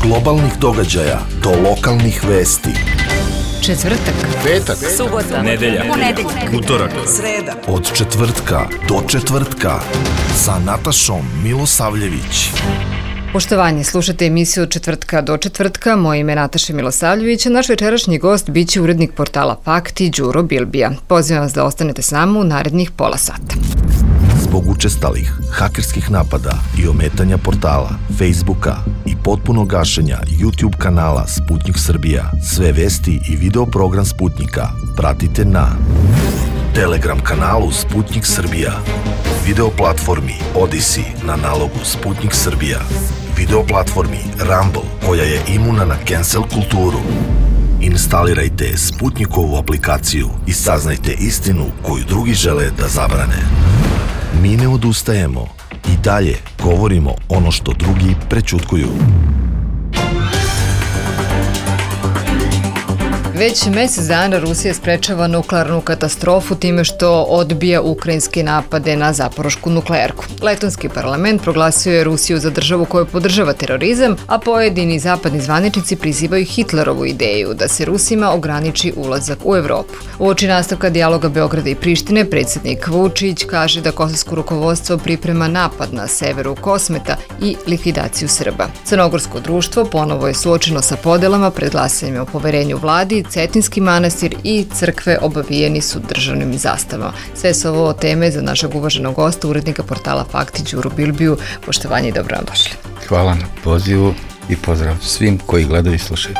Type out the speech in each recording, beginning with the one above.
globalnih događaja do lokalnih vesti. Četvrtak, petak, subota, nedelja, utorak, sreda. Od četvrtka do četvrtka sa Natašom Milosavljević. Poštovanje, slušate emisiju Od četvrtka do četvrtka. Moje ime je Nataša Milosavljević, a naš večerašnji gost biće urednik portala Fakti Đuro Bilbija. Pozivam vas da ostanete s nama u narednih pola sata. Zbog učestalih hakerskih napada i ometanja portala, Facebooka i potpunog gašenja YouTube kanala Sputnik Srbija, sve vesti i video program Sputnika pratite na Telegram kanalu Sputnik Srbija, video platformi Odyssey na nalogu Sputnik Srbija, video platformi Rumble koja je imuna na cancel kulturu. Instalirajte Sputnikovu aplikaciju i saznajte istinu koju drugi žele da zabrane. Mi ne odustajemo i dalje govorimo ono što drugi prećutkuju. Već mesec dana Rusija sprečava nuklearnu katastrofu time što odbija ukrajinske napade na Zaporošku nuklearku. Letonski parlament proglasio je Rusiju za državu koju podržava terorizam, a pojedini zapadni zvaničnici prizivaju Hitlerovu ideju da se Rusima ograniči ulazak u Evropu. Uoči nastavka dijaloga Beograda i Prištine, predsjednik Vučić kaže da kosovsko rukovodstvo priprema napad na severu Kosmeta i likvidaciju Srba. Crnogorsko društvo ponovo je suočeno sa podelama pred glasanjem o poverenju vladi. Cetinski manastir i crkve obavijeni su državnim zastavama. Sve su ovo teme za našeg uvaženog gosta, urednika portala Fakti Đuru Bilbiju. Poštovanje i dobro nam došli. Hvala na pozivu i pozdrav svim koji gledaju i slušaju.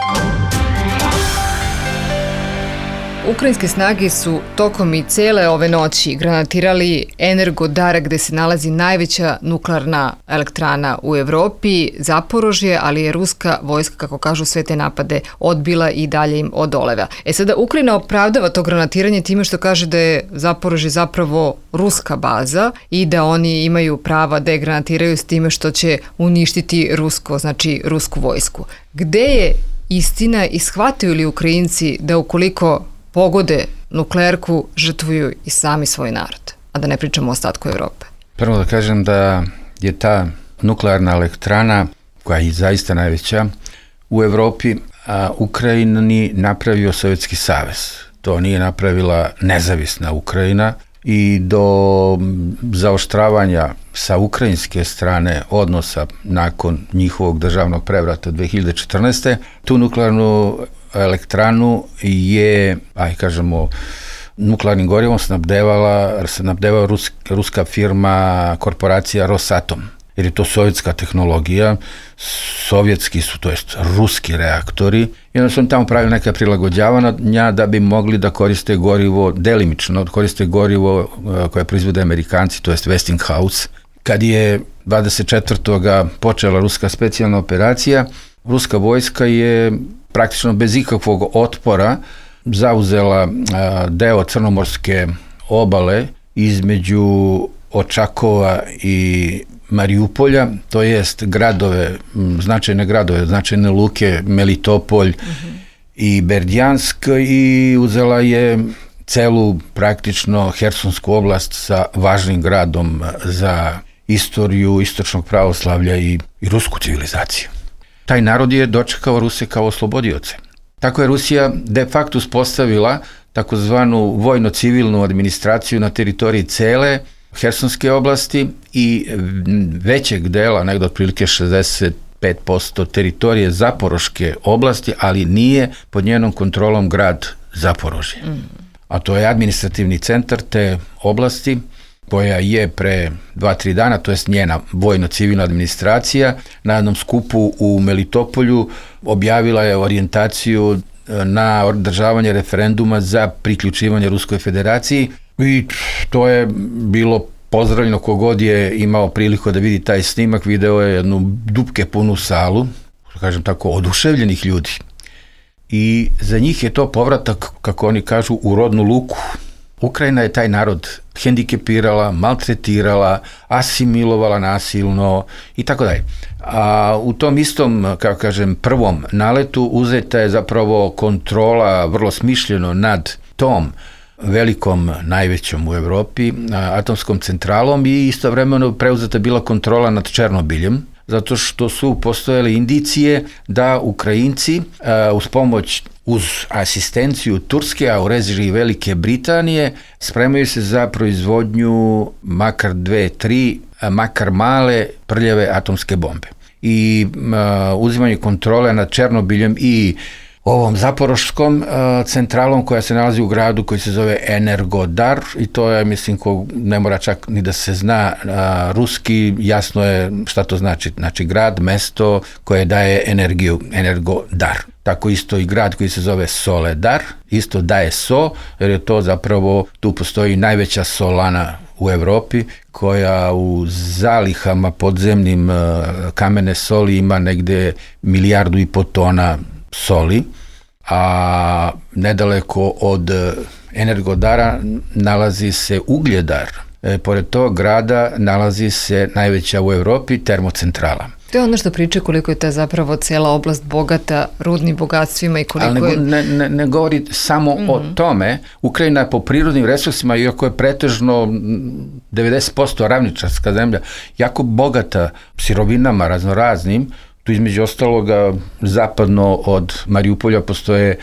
Ukrajinske snage su tokom i cele ove noći granatirali Energodar, gde se nalazi najveća nuklearna elektrana u Evropi, Zaporožje, ali je ruska vojska, kako kažu, sve te napade odbila i dalje im odoleva. Sada Ukrajina opravdava to granatiranje time što kaže da je Zaporožje zapravo ruska baza i da oni imaju prava da je granatiraju s time što će uništiti rusku vojsku. Gde je istina i shvataju li Ukrajinci da ukoliko pogode nuklearku žrtvuju i sami svoj narod, a da ne pričamo o ostatku Evrope? Prvo da kažem da je ta nuklearna elektrana, koja je zaista najveća u Evropi, a Ukrajini napravio Sovjetski savez. To nije napravila nezavisna Ukrajina i do zaoštravanja sa ukrajinske strane odnosa nakon njihovog državnog prevrata 2014. tu nuklearnu elektranu je, nuklearnim gorivom snabdeva ruska firma, korporacija Rosatom. Jer je to sovjetska tehnologija, sovjetski su, to jest ruski reaktori. I onda su oni tamo pravili neka prilagođavanja da bi mogli da koriste gorivo, delimično koriste gorivo koje proizvode Amerikanci, to jest Westinghouse. Kad je 24. počela ruska specijalna operacija, ruska vojska je praktično bez ikakvog otpora zauzela deo crnomorske obale između Očakova i Mariupolja, to jest značajne luke Melitopolj i Berdjansk, i uzela je celu praktično Hersonsku oblast sa važnim gradom za istoriju istočnog pravoslavlja i rusku civilizaciju. Taj narod je dočekao Ruse kao oslobodioce. Tako je Rusija de facto uspostavila takozvanu vojno-civilnu administraciju na teritoriji cele Hersonske oblasti i većeg dela, negdje otprilike 65% teritorije Zaporoške oblasti, ali nije pod njenom kontrolom grad Zaporožje. A to je administrativni centar te oblasti, koja je pre 2-3 dana, to jest njena vojno-civilna administracija, na jednom skupu u Melitopolju objavila je orijentaciju na održavanje referenduma za priključivanje Ruskoj federaciji i to je bilo pozdravljeno. Kogod je imao priliku da vidi taj snimak, video je jednu dupke punu salu, kažem tako, oduševljenih ljudi. I za njih je to povratak, kako oni kažu, u rodnu luku. Ukrajina je taj narod hendikepirala, maltretirala, asimilovala nasilno i tako dalje. A u tom istom, kako kažem, prvom naletu uzeta je zapravo kontrola vrlo smišljeno nad tom velikom, najvećom u Evropi, atomskom centralom, i istovremeno preuzeta bila kontrola nad Černobiljem, zato što su postojale indicije da Ukrajinci uz asistenciju Turske, a u režiji Velike Britanije, spremaju se za proizvodnju makar 2-3, makar male prljave atomske bombe. I uzimanje kontrole nad Černobiljem i ovom zaporoškom centralom koja se nalazi u gradu koji se zove Energodar, i to je, mislim, ko ne mora čak ni da se zna ruski, jasno je šta to znači. Znači grad, mesto koje daje energiju, Energodar. Tako isto i grad koji se zove Soledar, isto daje so, jer je to zapravo, tu postoji najveća solana u Evropi, koja u zalihama podzemnim kamene soli ima negde 1,5 milijardu tona soli, a nedaleko od Energodara nalazi se Ugljedar. Pored tog grada nalazi se najveća u Evropi termocentrala. To je ono što priča koliko je ta zapravo cela oblast bogata rudnim bogatstvima i koliko ali ne govori samo o tome. Ukrajina po prirodnim resursima, iako je pretežno 90% ravničarska zemlja, jako bogata sirovinama raznoraznim. Tu između ostaloga zapadno od Mariupolja postoje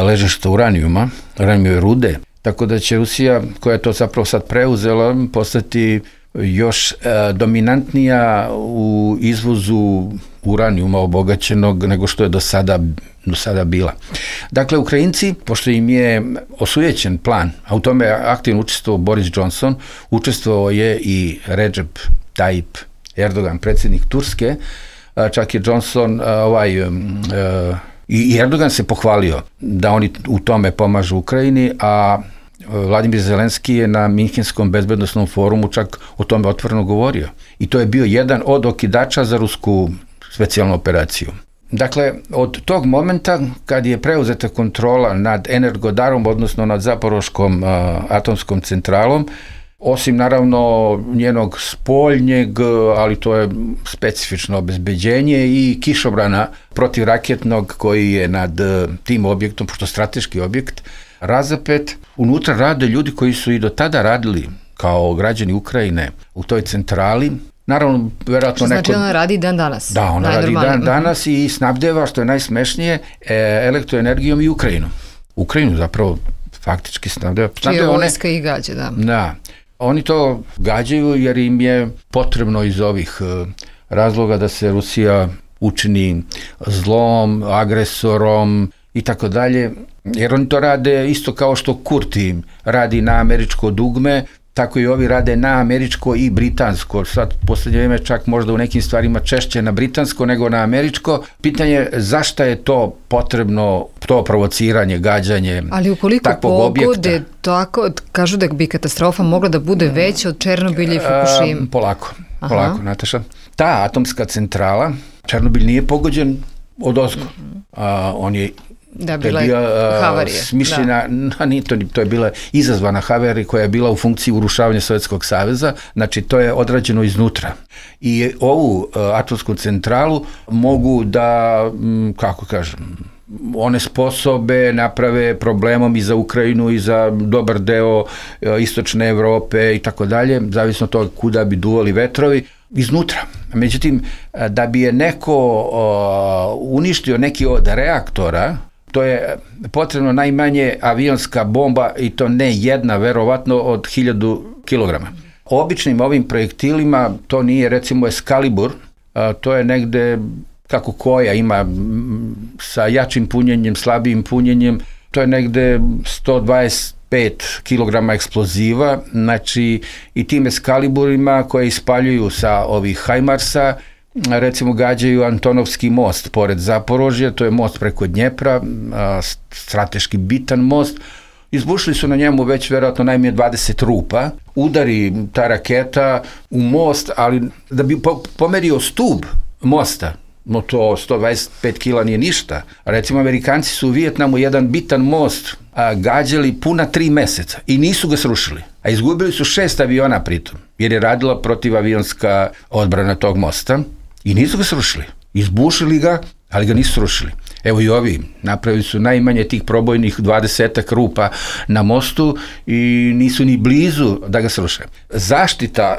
ležišta uranijumove rude, tako da će Rusija, koja je to zapravo sad preuzela, postati još dominantnija u izvozu uranijuma obogaćenog nego što je do sada bila. Dakle, Ukrajinci, pošto im je osujećen plan, a u tome je aktivno učestvovao Boris Johnson, učestvovao je i Recep Tayyip Erdogan, predsjednik Turske, čak je Johnson i Erdogan se pohvalio da oni u tome pomažu Ukrajini, a Vladimir Zelenski je na Minhenskom bezbednosnom forumu čak o tome otvoreno govorio. I to je bio jedan od okidača za rusku specijalnu operaciju. Dakle, od tog momenta kad je preuzeta kontrola nad Energodarom, odnosno nad Zaporoškom atomskom centralom, osim naravno njenog spoljnjeg, ali to je specifično obezbeđenje, i kišobrana protivraketnog koji je nad tim objektom, pošto strateški objekt, razapet. Unutra rade ljudi koji su i do tada radili kao građani Ukrajine u toj centrali. Naravno, verovatno znači ona radi dan danas? Da, ona radi dan danas i snabdeva, što je najsmešnije, elektroenergijom i Ukrajinu. Ukrajinu zapravo faktički snabdeva. Čije vojska i gađa, da. Da. Oni to gađaju jer im je potrebno iz ovih razloga da se Rusija učini zlom, agresorom i tako dalje, jer oni to rade isto kao što Kurti radi na američko dugme, tako i ovi rade na američko i britansko. Sad poslednje vrijeme čak možda u nekim stvarima češće na britansko nego na američko. Pitanje je zašto je to potrebno, to provociranje, gađanje takvog objekta. Ali ukoliko pogode tako, kažu da bi katastrofa mogla da bude veća od Černobilja i Fukushima. Polako, Nataša. Ta atomska centrala, Černobil nije pogođen odozgo. On je bila havarija. Smišljena, to je bila izazvana havarija koja je bila u funkciji urušavanja Sovjetskog saveza, znači to je odrađeno iznutra. I ovu atomsku centralu mogu da, kako kažem, one sposobe naprave problemom i za Ukrajinu i za dobar deo istočne Evrope i tako dalje, zavisno od toga kuda bi duvali vetrovi, iznutra. Međutim, da bi je neko uništio neki od reaktora, to je potrebno najmanje avionska bomba, i to ne jedna, verovatno od 1000 kilograma. Običnim ovim projektilima, to nije recimo Excalibur, to je negde kako koja ima sa jačim punjenjem, slabijim punjenjem, to je negde 125 kilograma eksploziva, znači i tim Excaliburima koje ispaljuju sa ovih Hajmarsa, recimo gađaju Antonovski most pored Zaporožja, to je most preko Dnjepra, strateški bitan most. Izbušili su na njemu već verovatno najmanje 20 rupa, udari ta raketa u most, ali da bi pomerio stub mosta, no to 125 kila nije ništa. Recimo, Amerikanci su u Vijetnamu jedan bitan most gađali puna 3 meseca i nisu ga srušili. A izgubili su 6 aviona pritom, jer je radila protivavionska odbrana tog mosta i nisu ga srušili. Izbušili ga, ali ga nisu srušili. Evo i ovi, napravili su najmanje tih probojnih 20 rupa na mostu i nisu ni blizu da ga sruše. Zaštita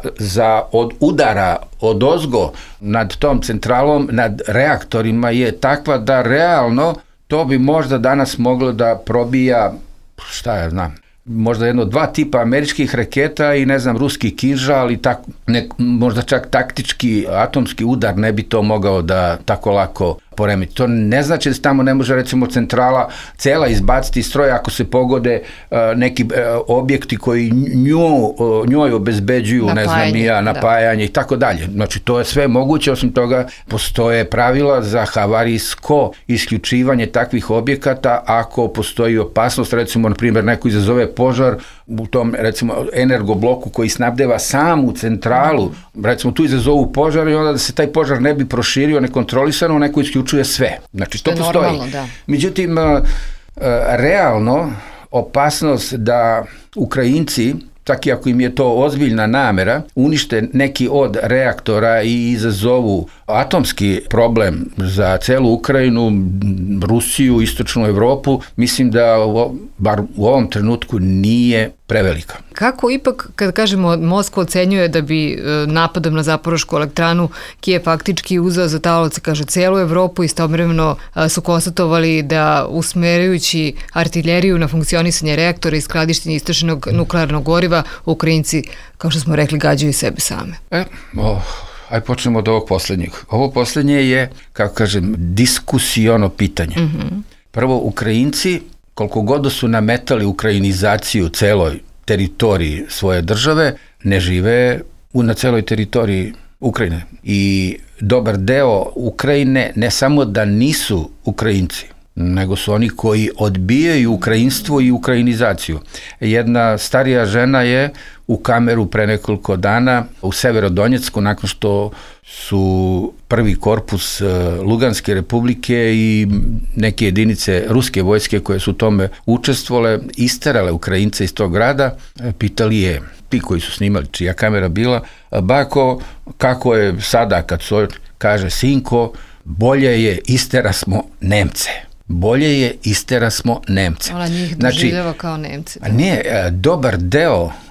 od udara odozgo nad tom centralom, nad reaktorima je takva da realno to bi možda danas moglo da probija, šta ja znam, možda jedno 2 tipa američkih raketa i ruski kinžal i možda čak taktički atomski udar ne bi to mogao da tako lako poremeti. To ne znači da se tamo ne može recimo centrala cela izbaciti iz stroja ako se pogode neki objekti koji njoj obezbeđuju napajanje i tako dalje. Znači to je sve moguće, osim toga postoje pravila za havarijsko isključivanje takvih objekata ako postoji opasnost, recimo na primjer neko izazove požar u tom recimo energobloku koji snabdeva samu centralu, recimo tu izazovu požar i onda da se taj požar ne bi proširio nekontrolisano, neko isključuje sve. Znači to postoji. Normalno, da. Međutim, realno opasnost da Ukrajinci, čak i ako im je to ozbiljna namera, unište neki od reaktora i izazovu atomski problem za celu Ukrajinu, Rusiju, istočnu Evropu, mislim da bar u ovom trenutku nije prevelika. Kako ipak, kad kažemo Moskva ocenjuje da bi napadom na Zaporošku elektranu Kijev faktički uzeo za taoc, kaže, celu Evropu, istovremeno su konstatovali da usmerajući artiljeriju na funkcionisanje reaktora i skladištenje istrošenog nuklearnog goriva, Ukrajinci, kao što smo rekli, gađaju sebe same. Ajde počnemo od ovog posljednjeg. Ovo posljednje je, kako kažem, diskusiono pitanje. Prvo, Ukrajinci, koliko god su nametali ukrajinizaciju celoj teritoriji svoje države, ne žive na celoj teritoriji Ukrajine. I dobar deo Ukrajine ne samo da nisu Ukrajinci, nego su oni koji odbijaju ukrajinstvo i ukrajinizaciju. Jedna starija žena je u kameru pre nekoliko dana u Severodonjecku, nakon što su prvi korpus Luganske republike i neke jedinice ruske vojske koje su u tome učestvovale, isterale Ukrajince iz tog grada, pitali je, ti koji su snimali, čija kamera bila, bako, kako je sada kad su, kaže, sinko, bolje je isterasmo Nemce. Bolje je isterasmo Nemce. Ona njih doživljava kao Nemce. Ne,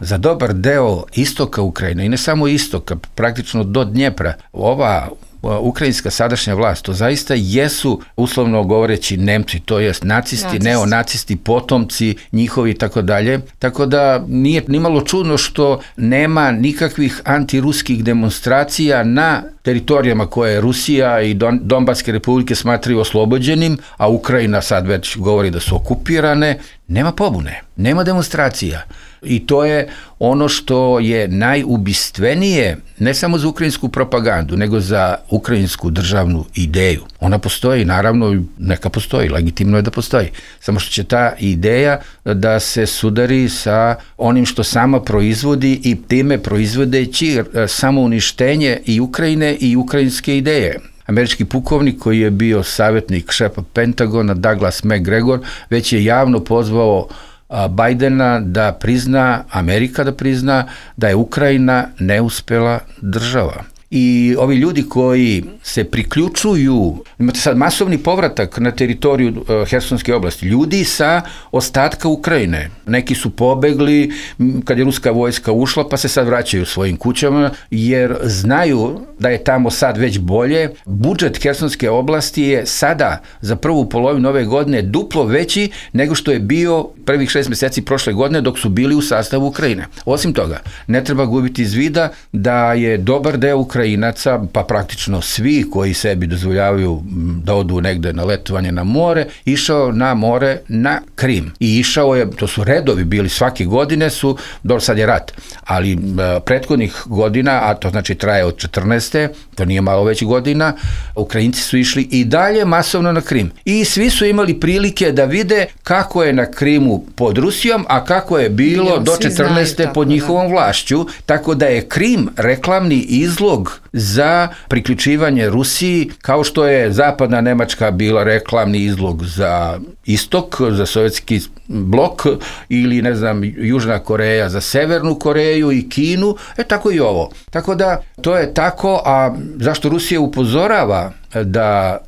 za dobar deo istoka Ukrajine i ne samo istoka, praktično do Dnjepra, ova ukrajinska sadašnja vlast, to zaista jesu, uslovno govoreći, Nemci, to jest nacisti, neonacisti, potomci njihovi i tako dalje. Tako da nije nimalo čudno što nema nikakvih antiruskih demonstracija na teritorijama koje Rusija i Donbaske republike smatraju oslobođenim, a Ukrajina sad već govori da su okupirane. Nema pobune, nema demonstracija. I to je ono što je najubistvenije, ne samo za ukrajinsku propagandu, nego za ukrajinsku državnu ideju. Ona postoji, naravno, neka postoji, legitimno je da postoji. Samo što će ta ideja da se sudari sa onim što sama proizvodi i time proizvodeći samouništenje i Ukrajine i ukrajinske ideje. Američki pukovnik koji je bio savjetnik šefa Pentagona, Douglas McGregor, već je javno pozvao Bajdena da prizna, Amerika da prizna da je Ukrajina neuspela država. I ovi ljudi koji se priključuju, imate sad masovni povratak na teritoriju Hersonske oblasti, ljudi sa ostatka Ukrajine. Neki su pobegli kad je ruska vojska ušla, pa se sad vraćaju svojim kućama, jer znaju da je tamo sad već bolje. Budžet Hersonske oblasti je sada za prvu polovinu ove godine duplo veći nego što je bio prvih 6 mjeseci prošle godine dok su bili u sastavu Ukrajine. Osim toga, ne treba gubiti iz vida da je dobar deo Ukrajinaca, pa praktično svi koji sebi dozvoljavaju da odu negde na letovanje na more, išao na more na Krim. I išao je, to su redovi bili svake godine su, dobro sad je rat, ali prethodnih godina, a to znači traje od 14. to nije malo već godina, Ukrajinci su išli i dalje masovno na Krim. I svi su imali prilike da vide kako je na Krimu pod Rusijom, a kako je bilo do 14. pod njihovom vlašću, tako da je Krim reklamni izlog za priključivanje Rusiji, kao što je zapadna Nemačka bila reklamni izlog za istok, za sovjetski blok, ili ne znam, Južna Koreja za Severnu Koreju i Kinu, tako i ovo. Tako da to je tako, a zašto Rusija upozorava da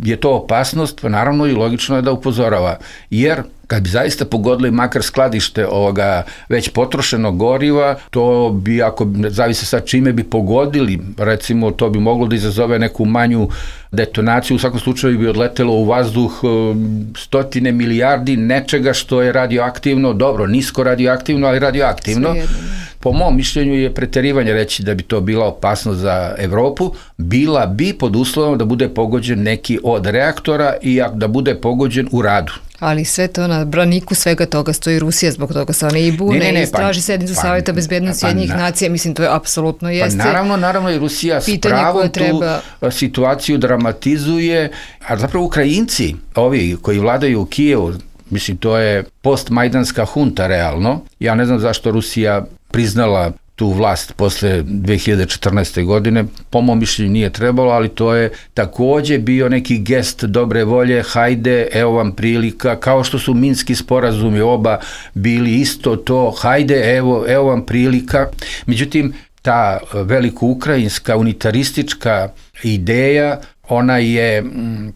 je to opasnost, pa naravno i logično je da upozorava. Jer kad bi zaista pogodili makar skladište ovoga već potrošenog goriva, to bi, ako zavise sad čime bi pogodili, recimo to bi moglo da izazove neku manju detonaciju, u svakom slučaju bi odletelo u vazduh stotine milijardi nečega što je radioaktivno, dobro, nisko radioaktivno, ali radioaktivno. Po mom mišljenju je preterivanje reći da bi to bila opasnost za Evropu, bila bi pod uslovom da bude pogođen neki od reaktora i da bude pogođen u radu. Ali sve to na braniku svega toga stoji Rusija, zbog toga se one i bune i traži sednicu Savjeta bezbednosti Ujedinjenih nacija, mislim to je apsolutno jeste. Pa naravno i Rusija s pravom tu situaciju dramatizuje, a zapravo Ukrajinci, ovi koji vladaju u Kijevu, mislim to je postmajdanska hunta realno, ja ne znam zašto Rusija priznala tu vlast posle 2014. godine, po mom mišljenju nije trebalo, ali to je takođe bio neki gest dobre volje, hajde, evo vam prilika, kao što su minski sporazumi oba bili isto to, hajde, evo vam prilika. Međutim, ta veliko ukrajinska unitaristička ideja, ona je,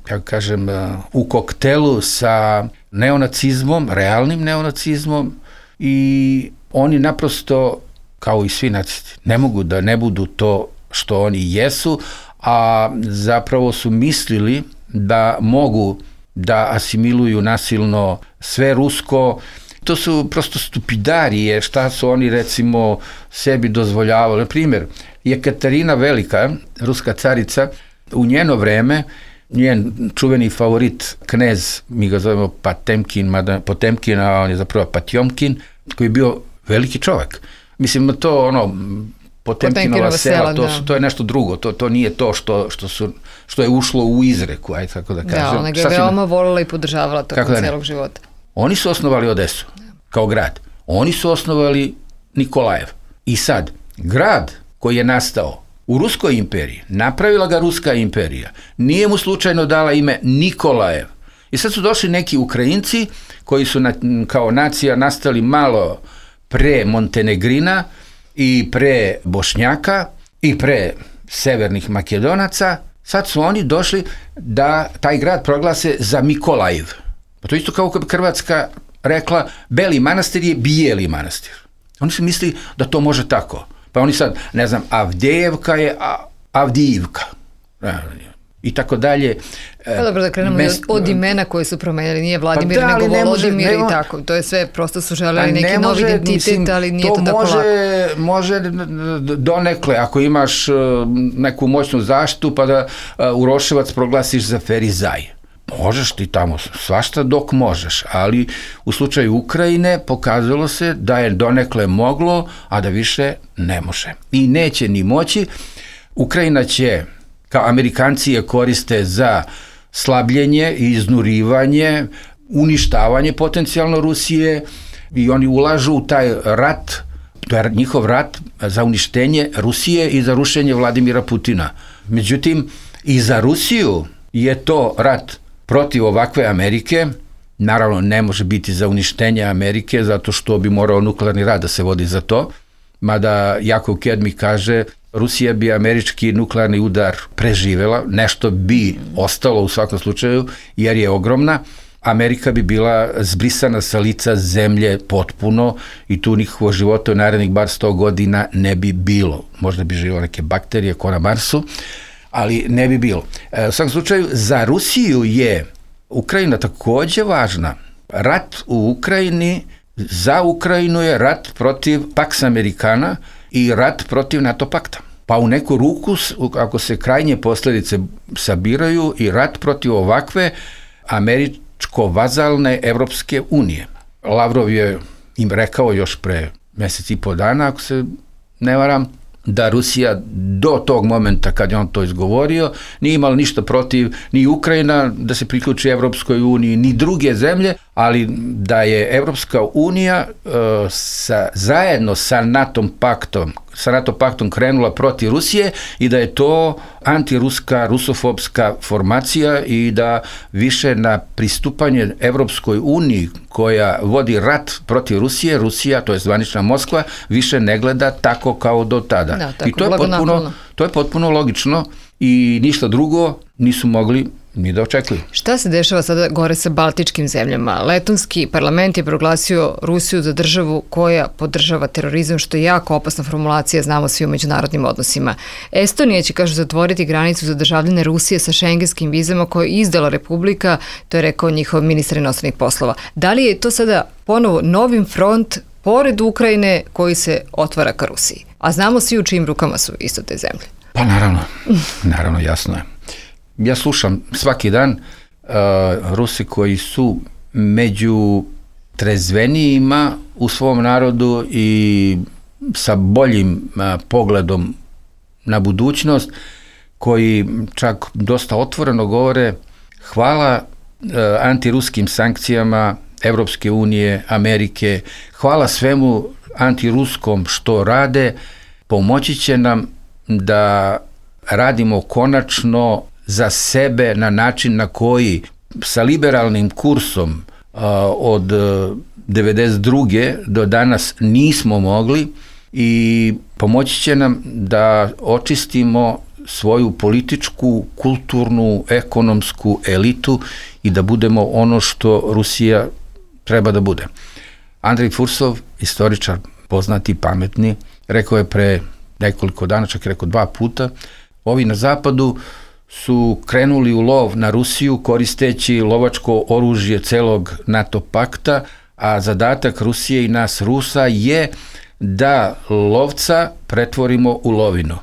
kako kažem, u koktelu sa neonacizmom, realnim neonacizmom, i oni naprosto, kao i svi nacisti, ne mogu da ne budu to što oni jesu, a zapravo su mislili da mogu da asimiluju nasilno sve rusko. To su prosto stupidarije, šta su oni recimo sebi dozvoljavali. Na primjer, Jekaterina Velika, ruska carica, u njeno vreme, njen čuveni favorit knez, mi ga zovemo Potemkin, a on je zapravo Patjomkin, koji je bio veliki čovjek. Mislim, to Potemkinova sela, to je nešto drugo, to nije to što je ušlo u izreku, ajde tako da kažem. Da, ona ga je veoma volila i podržavala tokom celog života. Oni su osnovali Odesu kao grad. Oni su osnovali Nikolajev. I sad, grad koji je nastao u Ruskoj imperiji, napravila ga Ruska imperija, nije mu slučajno dala ime Nikolajev. I sad su došli neki Ukrajinci koji su kao nacija nastali malo pre Montenegrina i pre Bošnjaka i pre severnih Makedonaca. Sad su oni došli da taj grad proglase za Mikolajev. Pa to isto kao kad Hrvatska rekla Beli Manastir je Bijeli Manastir. Oni su mislili da to može tako. Pa oni sad, ne znam, Avdijevka je Avdijivka. I tako dalje. Pa dobro, da krenemo od imena koje su promenjali, nije Vladimir, nego Volodimir i tako. To je sve, prosto su želeli neki novi identitet, ali nije to tako lako. Može donekle, ako imaš neku moćnu zaštitu, pa da Uroševac proglasiš za Ferizaj. Možeš ti tamo svašta dok možeš, ali u slučaju Ukrajine pokazalo se da je donekle moglo, a da više ne može. I neće ni moći. Ukrajina će, kao Amerikanci je koriste za slabljenje i iznurivanje, uništavanje potencijalno Rusije, i oni ulažu u taj rat, to je njihov rat za uništenje Rusije i za rušenje Vladimira Putina. Međutim, i za Rusiju je to rat protiv ovakve Amerike. Naravno, ne može biti za uništenje Amerike, zato što bi morao nuklearni rat da se vodi za to, mada Jakov Kedmi kaže Rusija bi američki nuklearni udar preživela, nešto bi ostalo u svakom slučaju, jer je ogromna. Amerika bi bila zbrisana sa lica zemlje potpuno i tu nikakvog života u narednih bar 100 godina ne bi bilo. Možda bi živjelo neke bakterije ko na Marsu, ali ne bi bilo. U svakom slučaju, za Rusiju je Ukrajina takođe važna. Rat u Ukrajini, za Ukrajinu je rat protiv Pax Americana i rat protiv NATO pakta. Pa u neku ruku, ako se krajnje posljedice sabiraju, i rat protiv ovakve američko-vazalne Evropske unije. Lavrov je im rekao još pre mesec i po dana, ako se ne varam, da Rusija do tog momenta kad je on to izgovorio nije imala ništa protiv ni Ukrajina da se priključi Evropskoj uniji, ni druge zemlje, ali da je Evropska unija zajedno sa NATO paktom krenula protiv Rusije i da je to antiruska, rusofobska formacija i da više na pristupanje Evropskoj uniji koja vodi rat protiv Rusije, Rusija, to je zvanična Moskva, više ne gleda tako kao do tada. Da, tako, i to je potpuno logično i ništa drugo nisu mogli mi da očekuju. Šta se dešava sada gore sa baltičkim zemljama? Letonski parlament je proglasio Rusiju za državu koja podržava terorizam, što je jako opasna formulacija, znamo svi u međunarodnim odnosima. Estonija će, kažu, zatvoriti granicu za državljane Rusije sa šengenskim vizama koje je izdala Republika, to je rekao njihov ministar inostranih poslova. Da li je to sada ponovo novim front pored Ukrajine koji se otvara ka Rusiji? A znamo svi u čijim rukama su isto te zemlje. Pa naravno, jasno je. Ja slušam svaki dan Rusi koji su među trezvenijima u svom narodu i sa boljim pogledom na budućnost, koji čak dosta otvoreno govore hvala antiruskim sankcijama Evropske unije, Amerike, hvala svemu antiruskom što rade, pomoći će nam da radimo konačno za sebe na način na koji sa liberalnim kursom od 92. do danas nismo mogli, i pomoći će nam da očistimo svoju političku, kulturnu, ekonomsku elitu i da budemo ono što Rusija treba da bude. Andrej Fursov, istoričar, poznati, pametni, rekao je pre nekoliko dana, čak je rekao 2 puta, ovi na zapadu su krenuli u lov na Rusiju koristeći lovačko oružje celog NATO pakta, a zadatak Rusije i nas Rusa je da lovca pretvorimo u lovinu.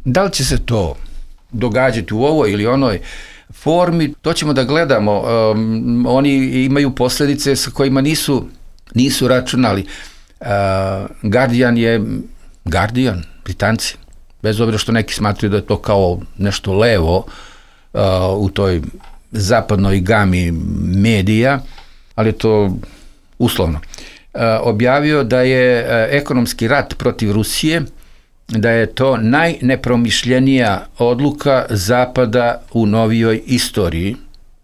Da li će se to događati u ovoj ili onoj formi, to ćemo da gledamo. Oni imaju posljedice sa kojima nisu računali. Guardian je Guardian, Britanci. Bez obzira što neki smatruju da je to kao nešto levo u toj zapadnoj gami medija, ali je to uslovno. Objavio da je ekonomski rat protiv Rusije, da je to najnepromišljenija odluka Zapada u novijoj istoriji.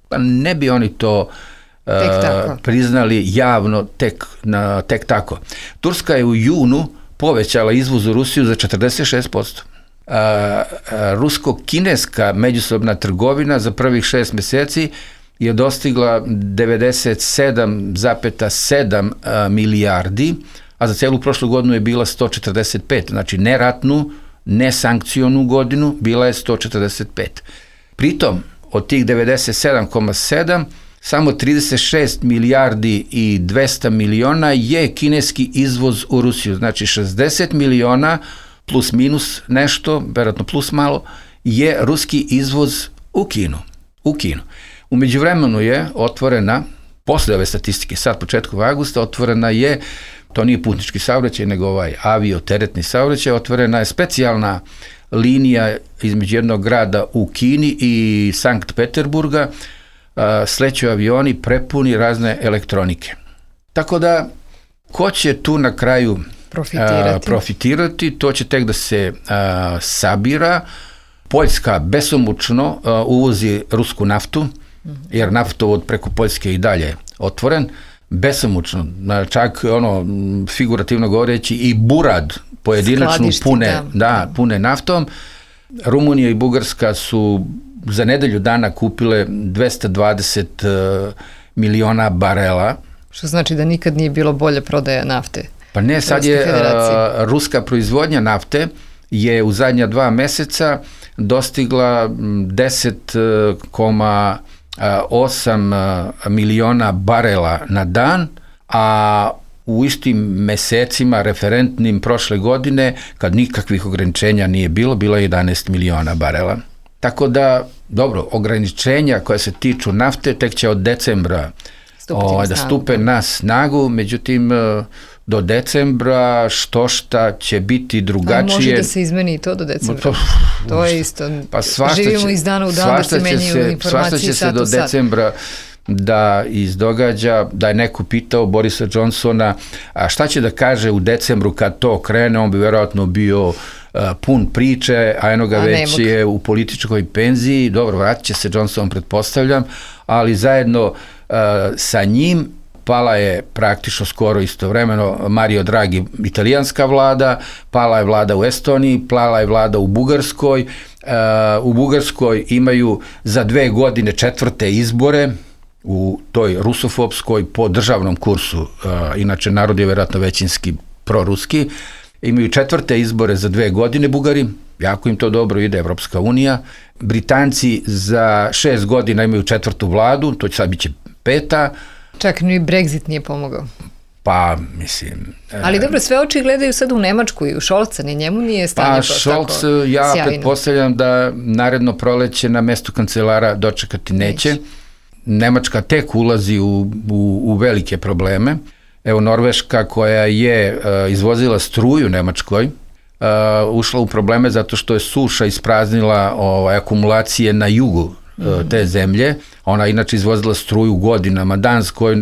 Pa ne bi oni to priznali javno tek tako. Turska je u junu povećala izvoz u Rusiju za 46%. Rusko-kineska međusobna trgovina za prvih 6 mjeseci je dostigla 97,7 milijardi, a za celu prošlu godinu je bila 145, znači neratnu, nesankcionu godinu bila je 145. Pritom, od tih 97,7, samo 36 milijardi i 200 miliona je kineski izvoz u Rusiju, znači 60 miliona plus minus nešto, vjerojatno plus malo, je ruski izvoz u Kinu. U međuvremenu je otvorena, posle ove statistike, sad početkom avgusta, otvorena je, to nije putnički saobraćaj, nego ovaj avio-teretni saobraćaj, otvorena je specijalna linija između jednog grada u Kini i Sankt Peterburga, sleću avioni prepuni razne elektronike. Tako da, ko će tu na kraju profitirati, to će tek da se sabira. Poljska besomučno uvozi rusku naftu, jer naftovod preko Poljske i dalje otvoren, besomučno, čak figurativno govoreći i burad pojedinačnu pune naftom. Rumunija i Bugarska su za nedelju dana kupile 220 miliona barela. Što znači da nikad nije bilo bolje prodaja nafte? Pa ne, sad je ruska proizvodnja nafte je u zadnja 2 meseca dostigla 10,8 miliona barela na dan, a u istim mesecima referentnim prošle godine, kad nikakvih ograničenja nije bilo je 11 miliona barela. Tako da, dobro, ograničenja koja se tiču nafte tek će od decembra da stupe na snagu, međutim do decembra šta će biti drugačije. A može da se izmeni i to do decembra? To je isto. Pa živimo iz dana u dan da se menjaju informacije. Svašta će se do decembra da izdogađa, da je neko pitao Borisa Johnsona, a šta će da kaže u decembru kad to krene, on bi vjerojatno bio pun priče, a eno ga već je u političkoj penziji. Dobro, vratit će se Johnson, pretpostavljam, ali zajedno sa njim pala je praktično skoro istovremeno Mario Draghi, italijanska vlada, pala je vlada u Estoniji, pala je vlada u Bugarskoj, u Bugarskoj imaju za 2 godine 4. izbore u toj rusofobskoj po državnom kursu, inače narod je vjerojatno većinski proruski, imaju 4. izbore za 2 godine Bugari, jako im to dobro ide, Evropska unija. Britanci za 6 godina imaju 4. vladu, to će sad biće 5. Čak ni Brexit nije pomogao. Pa, mislim... Ali dobro, sve oči gledaju sad u Nemačku i u Šolca, ni njemu nije stanje to Šolc, tako sjajno. ja pretpostavljam da naredno proleće na mestu kancelara dočekati neće. Nemačka tek ulazi u velike probleme. Evo, Norveška koja je izvozila struju Nemačkoj, ušla u probleme zato što je suša ispraznila akumulacije na jugu te zemlje. Ona inače izvozila struju godinama Danskoj,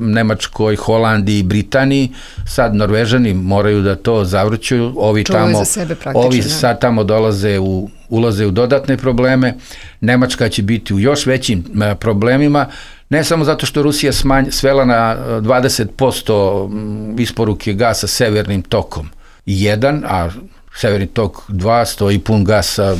Nemačkoj, Holandiji, Britaniji. Sad Norvežani moraju da to zavrćuju. Ovi sad tamo ulaze u dodatne probleme. Nemačka će biti u još većim problemima, ne samo zato što Rusija svela na 20% isporuke gasa severnim tokom 1, a severni tok 2 stoji pun gasa,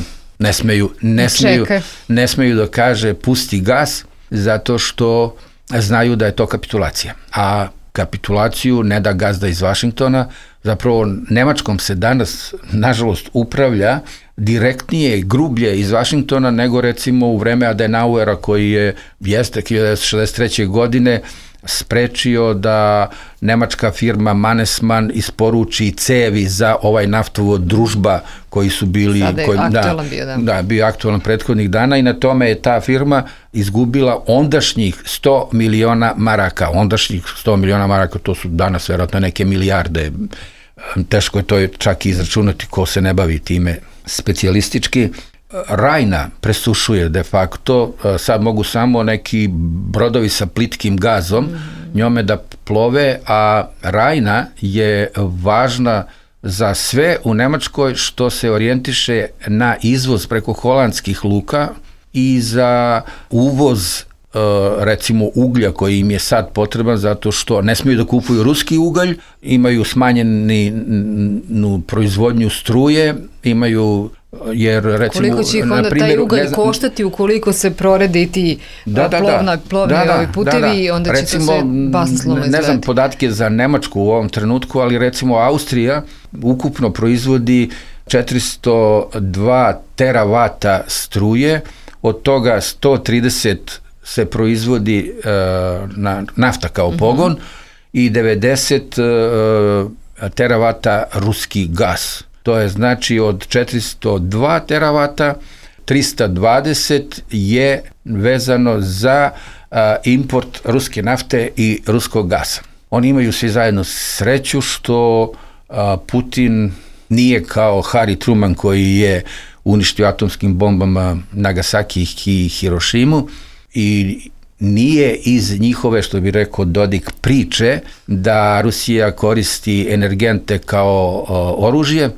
ne smeju da kaže pusti gas, zato što znaju da je to kapitulacija. A kapitulaciju ne da gazda iz Vašingtona, zapravo Nemačkom se danas, nažalost, upravlja direktnije i grublje iz Vašingtona nego recimo u vreme Adenauera koji jeste 1963. godine sprečio da nemačka firma Mannesmann isporuči cevi za ovaj naftovod Družba koji su bili... Sada je aktualan bio, da. Da, bio aktualan prethodnih dana i na tome je ta firma izgubila ondašnjih 100 miliona maraka. Ondašnjih 100 miliona maraka, to su danas vjerojatno neke milijarde. Teško je to čak izračunati ko se ne bavi time specijalistički. Rajna presušuje de facto, sad mogu samo neki brodovi sa plitkim gazom njome da plove, a Rajna je važna za sve u Nemačkoj što se orijentiše na izvoz preko holandskih luka i za uvoz recimo uglja koji im je sad potreban zato što ne smiju da kupuju ruski ugalj, imaju smanjenu proizvodnju struje, imaju jer recimo... Koliko će ih onda taj ugalj koštati ukoliko se prorede ti plovni putevi, onda će to sve basnoslovno izgledati. Ne znam podatke za Nemačku u ovom trenutku, ali recimo Austrija ukupno proizvodi 402 teravata struje, od toga 130 se proizvodi nafta kao pogon i 90 teravata ruski gas. To je znači od 402 teravata, 320 je vezano za import ruske nafte i ruskog gasa. Oni imaju svi zajedno sreću što Putin nije kao Harry Truman koji je uništio atomskim bombama Nagasaki i Hirošimu i nije iz njihove, što bi rekao Dodik, priče da Rusija koristi energente kao oružje,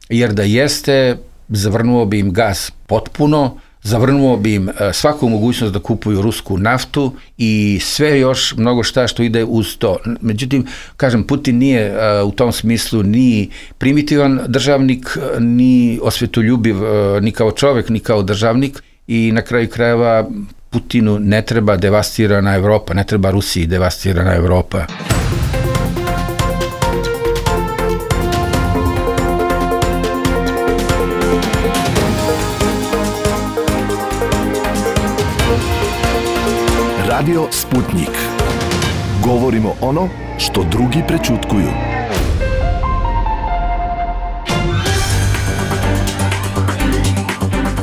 jer da jeste, zavrnuo bi im gas potpuno, zavrnuo bi im svaku mogućnost da kupuju rusku naftu i sve još mnogo šta što ide uz to. Međutim, kažem, Putin nije u tom smislu ni primitivan državnik, ni osvetoljubiv, ni kao čovek, ni kao državnik i na kraju krajeva Putinu ne treba devastirana Evropa, ne treba Rusiji devastirana Evropa. Radio Sputnik. Govorimo ono što drugi prećutkuju.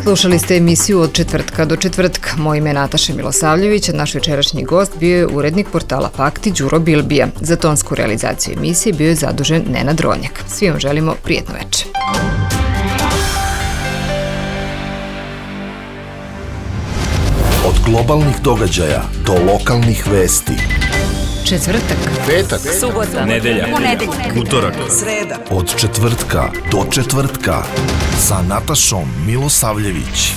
Slušali ste emisiju Od četvrtka do četvrtka. Moje ime je Nataša Milosavljević, a naš večerašnji gost bio je urednik portala Fakti Đuro Bilbija. Za tonsku realizaciju emisije bio je zadužen Nenad Ronjak. Svi vam želimo prijetno večer. Od globalnih događaja do lokalnih vesti. Četvrtak, petak, subota, nedelja, ponedeljak, utorak, sreda. Od četvrtka do četvrtka sa Natašom Milosavljević.